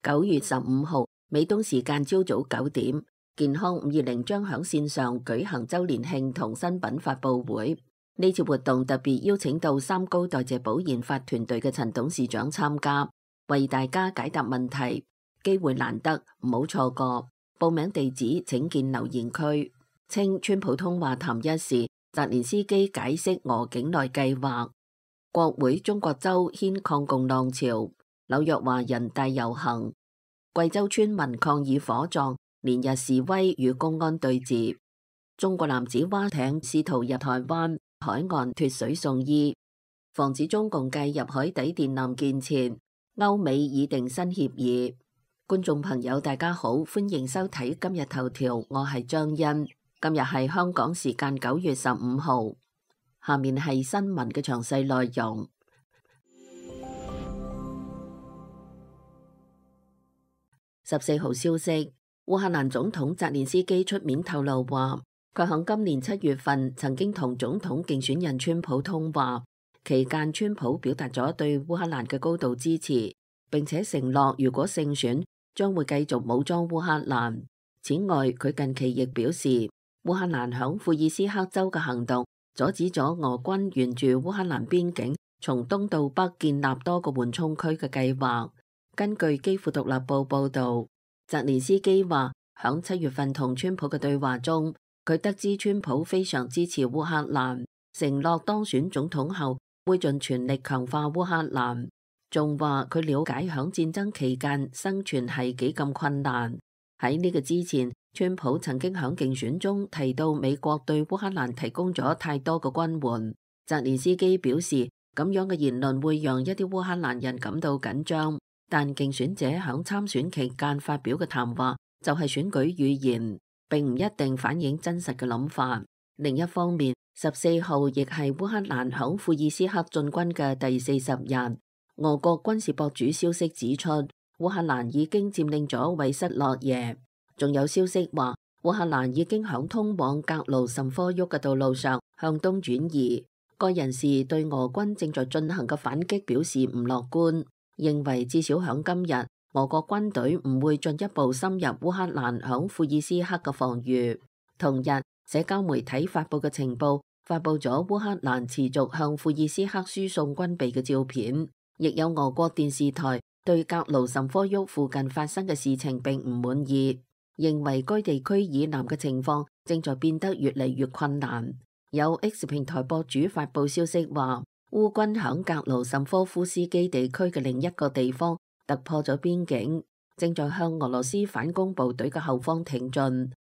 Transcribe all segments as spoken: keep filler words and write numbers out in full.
九月十五號，美東時間朝早九點，健康五二零將響線上舉行周年慶同新品發佈會。呢次活動特別邀請到三高代謝保研發團隊嘅陳董事長參加，為大家解答問題。機會難得，唔好錯過。報名地址請見留言區。稱川普通話談一時，澤連斯基解釋俄境內計劃。國會中國州掀抗共浪潮，紐約華人大遊行。貴州村民抗議火葬，連日示威與公安對峙。中國男子划艇試圖入台灣海岸脫水送醫。防止中共介入海底電纜建設，歐美擬定新協議。觀眾朋友大家好，歡迎收睇今日頭條，我係張欣。今日係香港時間九月十五號，下面係新聞嘅詳細內容。十四號消息，烏克蘭總統澤連斯基出面透露話，佢喺今年七月份曾經同總統競選人川普通話，期間川普表達咗對烏克蘭嘅高度支持，並且承諾如果勝選，將會繼續武裝烏克蘭。此外，佢近期亦表示，烏克蘭響庫爾斯克州嘅行動阻止咗俄軍沿住烏克蘭邊境從東到北建立多個緩衝區嘅計劃。根據基輔獨立報報道，澤連斯基話響七月份同川普嘅對話中，佢得知川普非常支持烏克蘭，承諾當選總統後會盡全力強化烏克蘭。仲話佢了解響戰爭期間生存係幾咁困難。喺呢個之前，川普曾經響競選中提到美國對烏克蘭提供咗太多嘅軍援。澤連斯基表示，咁樣嘅言論會讓一啲烏克蘭人感到緊張。但競選者響參選期間發表嘅談話就係選舉語言，並唔一定反映真實嘅諗法。另一方面，十四號亦係烏克蘭響庫爾斯克進軍嘅第四十日。俄國軍事博主消息指出，烏克蘭已經佔領咗韋塞洛耶。仲有消息話，烏克蘭已經響通往格盧什科沃嘅道路上向東轉移。該人士對俄軍正在進行嘅反擊表示唔樂觀，認為至少響今日，俄國軍隊唔會進一步深入烏克蘭響庫爾斯克嘅防禦。同日，社交媒體發佈嘅情報發佈咗烏克蘭持續向庫爾斯克輸送軍備嘅照片，亦有俄國電視台對格盧什科沃附近發生嘅事情並唔滿意，認為該地區以南嘅情況正在變得越嚟越困難。有 X 平台博主發佈消息話，烏軍響格盧什科夫斯基地區嘅另一個地方突破咗邊境，正在向俄羅斯反攻部隊嘅後方挺進。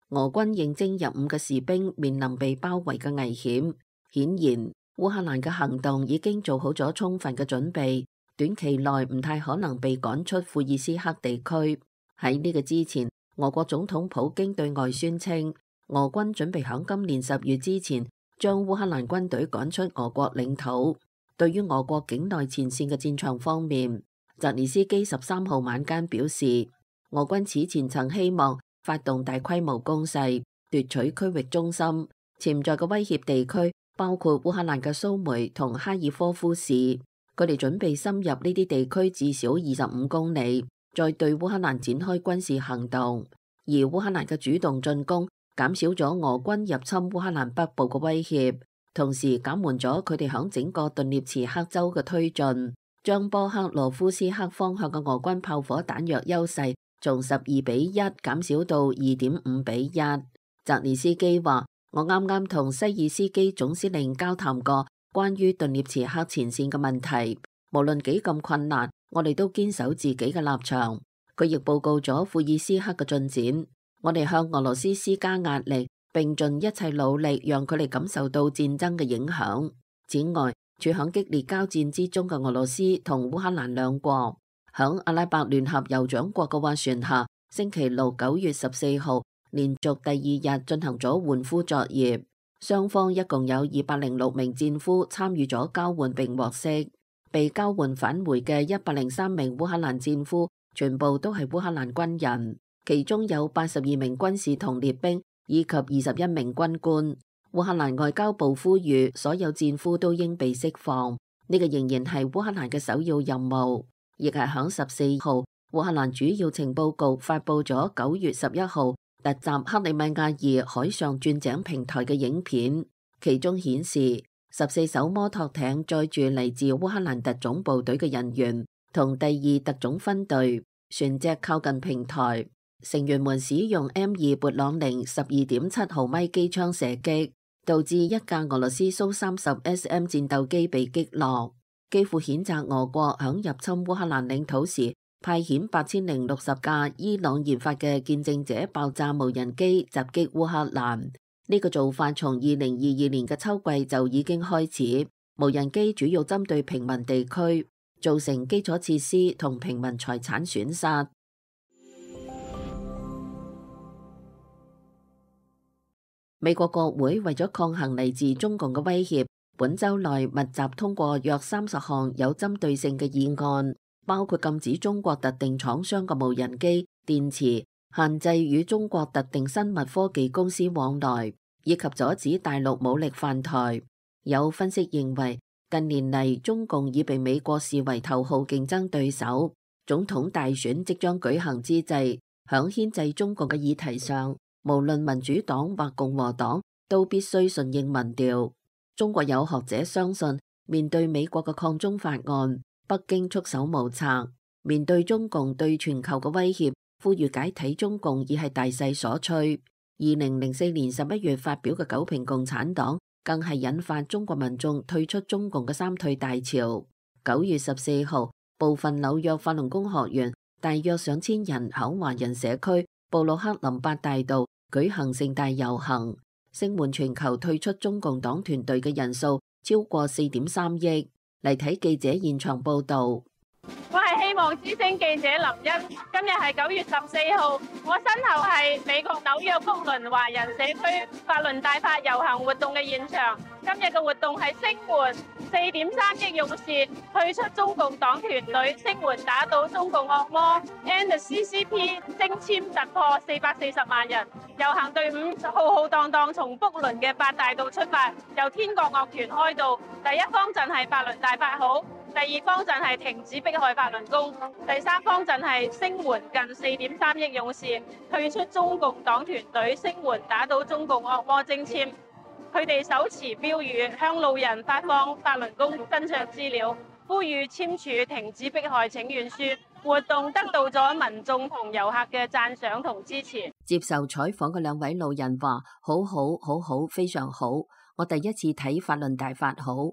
俄軍應徵入伍嘅士兵面臨被包圍嘅危險。顯然，烏克蘭嘅行動已經做好咗充分嘅準備，短期內唔太可能被趕出庫爾斯克地區。喺呢個之前，俄國總統普京對外宣稱，俄軍準備響今年十月之前將烏克蘭軍隊趕出俄國領土。對於俄國境內前線嘅戰場方面，澤連斯基十三號晚間表示，俄軍此前曾希望發動大規模攻勢，奪取區域中心。潛在嘅威脅地區包括烏克蘭嘅蘇梅同哈爾科夫市，佢哋準備深入呢啲地區至少二十五公里，再對烏克蘭展開軍事行動。而烏克蘭嘅主動進攻減少咗俄軍入侵烏克蘭北部嘅威脅，同時減緩咗佢哋響整個頓涅茨克州嘅推進，將波克羅夫斯克方向嘅俄軍炮火彈藥優勢從十二比一減少到二點五比一。澤連斯基話，我啱啱同西爾斯基總司令交談過關於頓涅茨克前線嘅問題，無論幾咁困難，我哋都堅守自己嘅立場。佢亦報告咗庫爾斯克嘅進展，我哋向俄羅斯施加壓力，並盡一切努力讓佢哋感受到戰爭嘅影響。此外，處響激烈交戰之中嘅俄羅斯同烏克蘭兩國，響阿拉伯聯合酋長國嘅斡旋下，星期六九月十四號連續第二日進行咗換俘作業。雙方一共有二百零六名戰俘參與咗交換並獲釋。被交換返回嘅一百零三名烏克蘭戰俘全部都係烏克蘭軍人，其中有八十二名軍士同列兵以及二十一名軍官。烏克蘭外交部呼籲所有戰俘都應被釋放，呢個仍然係烏克蘭嘅首要任務。亦係響十四號，烏克蘭主要情報局發佈咗九月十一號突襲克里米亞爾海上鑽井平台嘅影片，其中顯示十四艘摩托艇載住嚟自烏克蘭特種部隊嘅人員同第二特種分隊，船隻靠近平台，成員們使用 M 二勃朗寧十二點七毫米機槍射擊，導致一架俄羅斯蘇三十 S M 戰鬥機被擊落。基輔譴責俄國響入侵烏克蘭領土時派遣八千零六十架伊朗研發嘅見證者爆炸無人機襲擊烏克蘭。呢個做法從二零二二年嘅秋季就已經開始，無人機主要針對平民地區，造成基礎設施同平民財產損失。美國國會為咗抗衡嚟自中共嘅威脅，本週內密集通過約三十項有針對性嘅議案，包括禁止中國特定廠商嘅無人機、電池，限制與中國特定生物科技公司往來，以及阻止大陸武力犯台。有分析認為，近年嚟中共已被美國視為頭號競爭對手。總統大選即將舉行之際，響牽制中共嘅議題上，無論民主黨或共和黨都必須順應民調。中國有學者相信，面對美國嘅抗中法案，北京束手無策。面對中共對全球嘅威脅，呼籲解體中共已係大勢所趨。二零零四年十一月發表嘅九評共產黨，更係引發中國民眾退出中共嘅三退大潮。九月十四號，部分紐約法輪功學員大約上千人喺華人社區布魯克林八大道舉行盛大遊行，聲援全球退出中共黨團隊嘅人數超過四點三億。嚟睇記者現場報道。我係希望之聲記者林茵，今日係九月十四號，我身後係美國紐約福倫華人社區法輪大法遊行活動嘅現場。今日嘅活動係聲援四點三億勇士退出中共黨團隊，聲援打倒中共惡魔 ，End C C P 征簽突破四百四十萬人。遊行隊伍浩浩蕩蕩從福倫嘅八大道出發，由天國樂團開道。第一方陣係法輪大法好，第二方陣係停止迫害法輪功，第三方陣係聲援近四點三億勇士退出中共黨團隊，聲援打倒中共惡魔徵簽。佢哋手持標語，向路人發放法輪功真相資料，呼籲簽署停止迫害請願書。活動得到咗民眾同遊客嘅讚賞同支持。接受採訪嘅兩位路人話：好好好好，非常好。我第一次睇法輪大法好。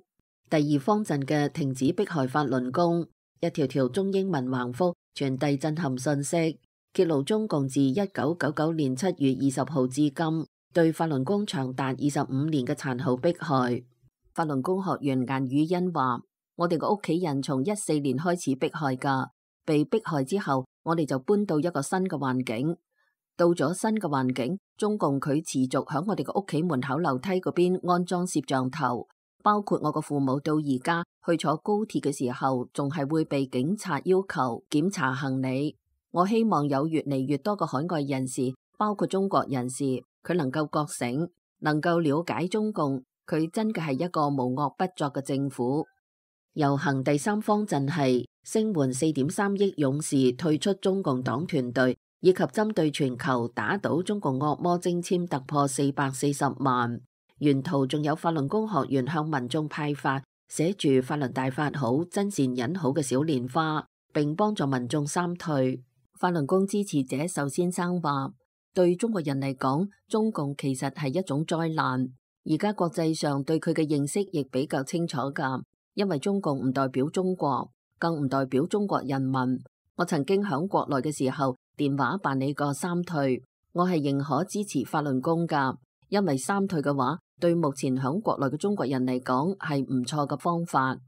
第二方陣嘅停止迫害法輪功，一條條中英文橫幅傳遞震撼信息，揭露中共自一九九九年七月二十號至今對法輪功長達二十五年嘅殘酷迫害。法輪功學員顏宇欣話：我哋個屋企人從一四年開始迫害噶。被迫害之後，我哋就搬到一個新嘅環境。到咗新嘅環境，中共佢持續響我哋個屋企門口樓梯嗰邊安裝攝像頭，包括我個父母到而家去坐高鐵嘅時候，仲係會被警察要求檢查行李。我希望有越嚟越多嘅海外人士，包括中國人士，佢能夠覺醒，能夠了解中共，佢真嘅係一個無惡不作嘅政府。遊行第三方陣係聲援四點三億勇士退出中共黨團隊，以及針對全球打倒中共惡魔徵簽突破四百四十萬。沿途仲有法輪功學員向民眾派發寫住法輪大法好、真善忍好嘅小蓮花，並幫助民眾三退。法輪功支持者壽先生話：對中國人嚟講，中共其實係一種災難。而家國際上對佢嘅認識亦比較清楚噶。因為中共唔代表中國，更唔代表中國人民。我曾經響國內嘅時候電話辦理過三退，我係認可支持法輪功噶，因為三退嘅話對目前響國內嘅中國人嚟講係唔錯嘅方法。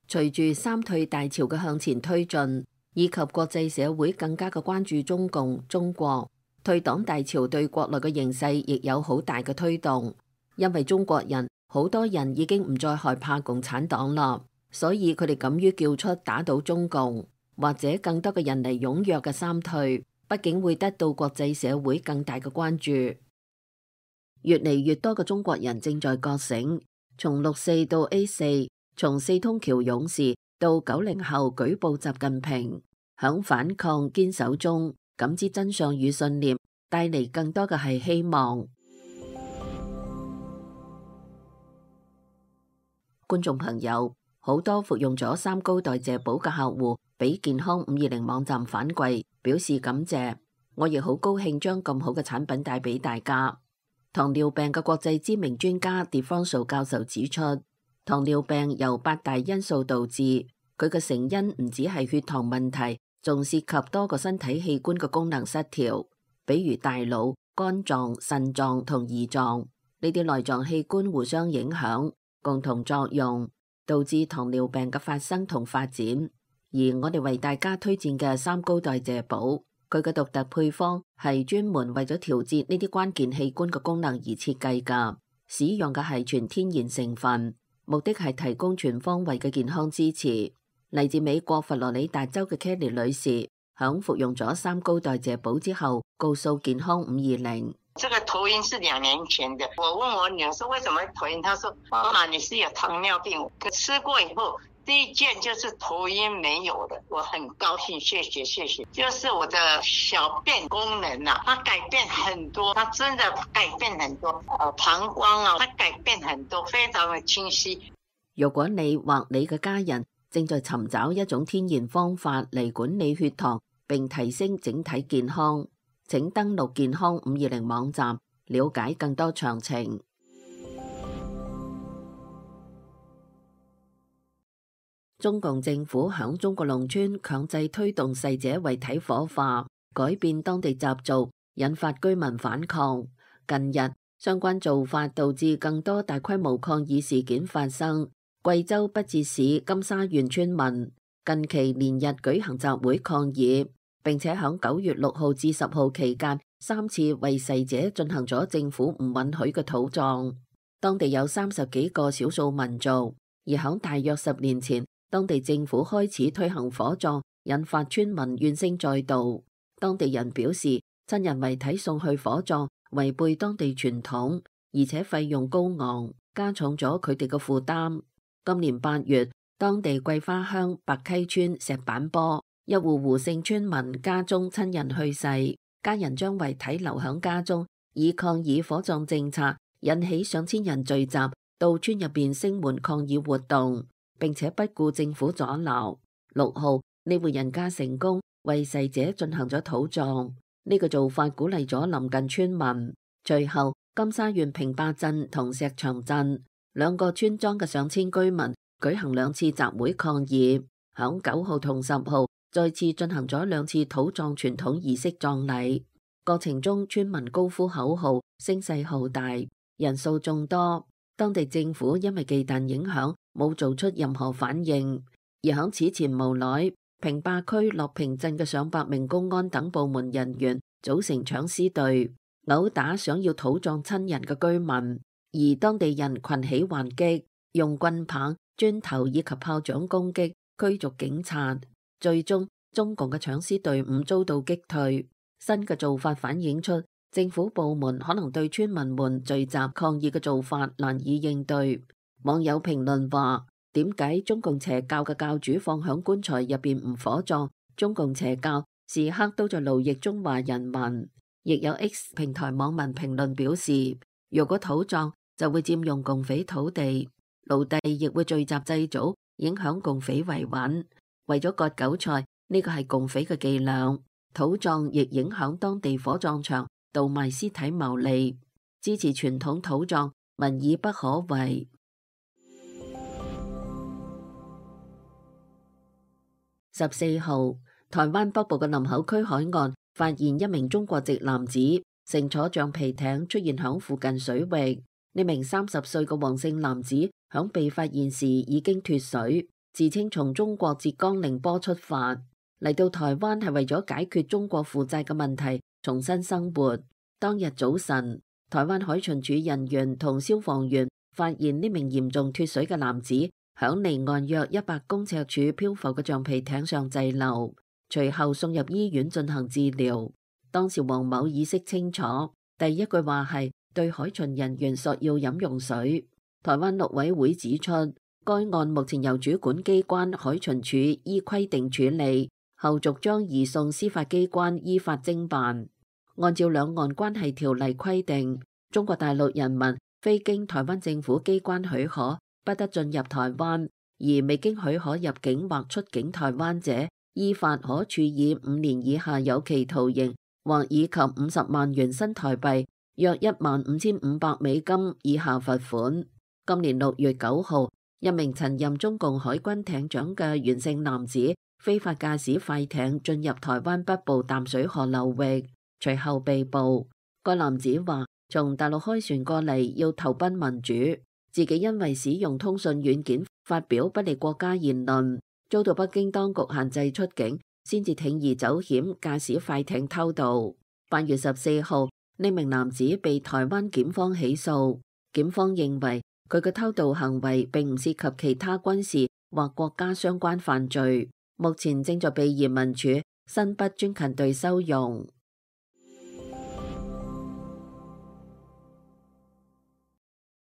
隨住三退大潮嘅向前推進，以及國際社會更加嘅關注中共、中國，退黨大潮對國內嘅形勢亦有好大嘅推動，因為中國人好多人已經唔再害怕共產黨啦，所以佢哋敢於叫出打倒中共，或者更多嘅人嚟踴躍嘅三退，畢竟會得到國際社會更大嘅關注。越嚟越多嘅中國人正在覺醒，從六四到 A 四，從四通橋勇士到九零後舉報習近平，響反抗堅守中，感知真相與信念，帶嚟更多嘅係希望。觀眾朋友，好多服用咗三高代謝寶嘅客戶，俾健康五二零網站反饋，表示感謝。我亦好高興將咁好嘅產品帶俾大家。糖尿病嘅國際知名專家 DeFranco 教授指出，糖尿病由八大因素導致，佢嘅成因唔只係血糖問題，仲涉及多個身體器官嘅功能失調，比如大腦、肝臟、腎臟同胰臟，呢啲內臟器官互相影響，共同作用，導致糖尿病嘅發生同發展。而我哋為大家推薦嘅三高代謝寶，佢嘅獨特配方係專門為咗調節呢啲關鍵器官嘅功能而設計㗎，使用嘅係全天然成分，目的係提供全方位嘅健康支持。嚟自美國佛羅里達州嘅 Kelly 女士，響服用咗三高代謝寶之後，告訴健康五二零：這個頭暈是兩年前的。我問我女兒說為什麼頭暈，她說媽媽你是有糖尿病。吃過以後，第一件就是頭暈沒有了，我很高興，謝謝謝謝。就是我的小便功能啊，它改變很多，它真的改變很多。呃，膀胱啊，它改變很多，非常的清晰。如果你或你嘅家人正在尋找一種天然方法嚟管理血糖並提升整體健康，請登錄健康五二零網站，了解更多詳情。中共政府響中國農村強制推動逝者遺體火化，改變當地習俗，引發居民反抗。近日，相關做法導致更多大規模抗議事件發生。貴州畢節市金沙縣村民近期連日舉行集會抗議，並且響九月六號至十號期間三次為逝者進行咗政府唔允許嘅土葬。當地有三十幾個少數民族，而響大約十年前，當地政府開始推行火葬，引發村民怨聲載道。當地人表示，親人遺體送去火葬違背當地傳統，而且費用高昂，加重咗佢哋嘅負擔。今年八月，當地桂花鄉白溪村石板坡一戶胡姓村民家中親人去世，家人將遺體留響家中，以抗議火葬政策，引起上千人聚集到村入邊聲援抗議活動，並且不顧政府阻撓。六號呢戶人家成功為逝者進行咗土葬，呢個做法鼓勵咗臨近村民。隨後，金沙縣平壩鎮同石場鎮兩個村莊嘅上千居民舉行兩次集會抗議，響九號同十號再次進行咗兩次土葬傳統儀式葬禮。過程中，村民高呼口號，聲勢浩大，人數眾多。當地政府因為忌憚影響，冇做出任何反應。而響此前無奈，平壩區樂平鎮嘅上百名公安等部門人員組成搶屍隊，毆打想要土葬親人嘅居民。而當地人群起還擊，用棍棒、磚頭以及炮仗攻擊，驅逐警察。最終，中共嘅搶屍隊伍遭到擊退。新嘅做法反映出政府部門可能對村民們聚集抗議嘅做法難以應對。網友評論話：點解中共邪教嘅教主放響棺材入邊唔火葬？中共邪教時刻都在奴役中華人民。亦有 X 平台網民評論表示：如果土葬，就會佔用共匪土地，奴隸亦會聚集祭祖，影響共匪維穩。為咗割韭菜，呢個係共匪嘅伎倆。土葬亦影響當地火葬場，倒賣屍體牟利。支持傳統土葬，民意不可違。十四號，台灣北部嘅林口區海岸發現一名中國籍男子乘坐橡皮艇出現響附近水域。呢名三十歲嘅黃姓男子響被發現時已經脫水，自稱從中國浙江寧波出發嚟到台灣係為咗解決中國負債嘅問題，重新生活。當日早晨，台灣海巡署人員同消防員發現呢名嚴重脫水嘅男子響離岸約一百公尺處漂浮嘅橡皮艇上滯留，隨後送入醫院進行治療。當時黃某意識清楚，第一句話係對海巡人員索要飲用水。台灣陸委會指出，該案目前由主管機關海巡署依規定處理，後續將移送司法機關依法偵辦。按照兩岸關係條例規定，中國大陸人民非經台灣政府機關許可，不得進入台灣，而未經許可入境或出境台灣者，依法可處以五年以下有期徒刑，或以及五十萬元新台幣約一萬五千五百美金以下罰款。今年六月九號，一名曾任中共海軍艇長嘅袁姓男子非法駕駛快艇進入台灣北部淡水河流域，隨後被捕。該男子話從大陸開船過嚟要投奔民主，自己因為使用通訊軟件發表不利國家言論，遭到北京當局限制出境，先至鋌而走險駕駛快艇偷渡。八月十四號，呢名男子被台灣檢方起訴，檢方認為佢嘅偷渡行為並唔涉及其他軍事或國家相關犯罪，目前正在被移民署新北專勤隊收容。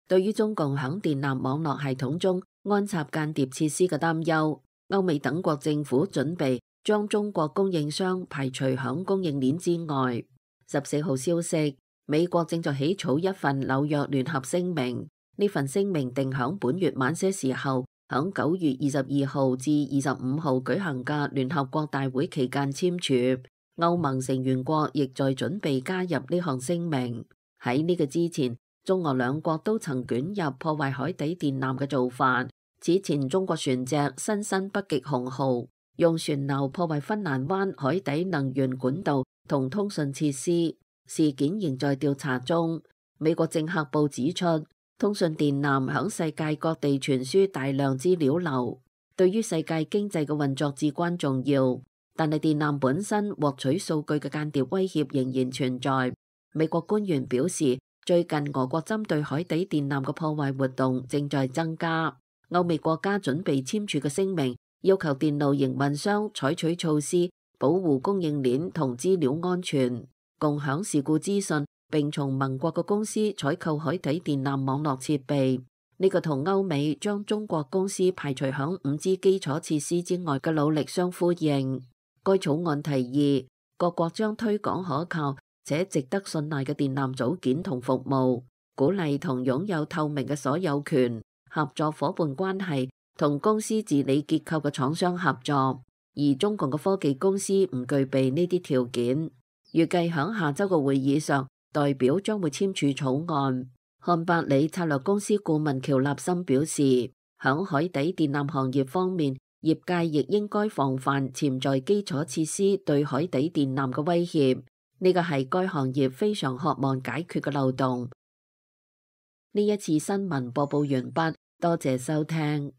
對於中共響電纜網絡系統中安插間諜設施嘅擔憂，歐美等國政府準備將中國供應商排除響供應鏈之外。十四號消息，美國正在起草一份紐約聯合聲明。呢份聲明定響本月晚些時候，響九月二十二號至二十五號舉行嘅聯合國大會期間簽署。歐盟成員國亦在準備加入呢項聲明。喺呢個之前，中俄兩國都曾捲入破壞海底電纜嘅做法。此前中國船隻新申北極熊號用船錨破壞芬蘭灣海底能源管道同通訊設施，事件仍在調查中。美國政客報指出，通訊電纜響世界各地傳輸大量資料流，對於世界經濟嘅運作至關重要。但係電纜本身獲取數據嘅間諜威脅仍然存在。美國官員表示，最近俄國針對海底電纜嘅破壞活動正在增加。歐美國家準備簽署嘅聲明，要求電路營運商採取措施保護供應鏈同資料安全，共享事故資訊，並從盟國嘅公司採購海底電纜網絡設備。呢個同歐美將中國公司排除響五 G 基礎設施之外嘅努力相呼應。該草案提議各國將推廣可靠且值得信賴嘅電纜組件同服務，鼓勵同擁有透明嘅所有權、合作夥伴關係同公司治理結構嘅廠商合作。而中共嘅科技公司唔具備呢啲條件。預計響下周嘅會議上，代表將會簽署草案。漢百里策略公司顧問喬立森表示，響海底電纜行業方面，業界亦應該防範潛在基礎設施對海底電纜嘅威脅。呢個係該行業非常渴望解決嘅漏洞。呢一次新聞播報完畢，多謝收聽。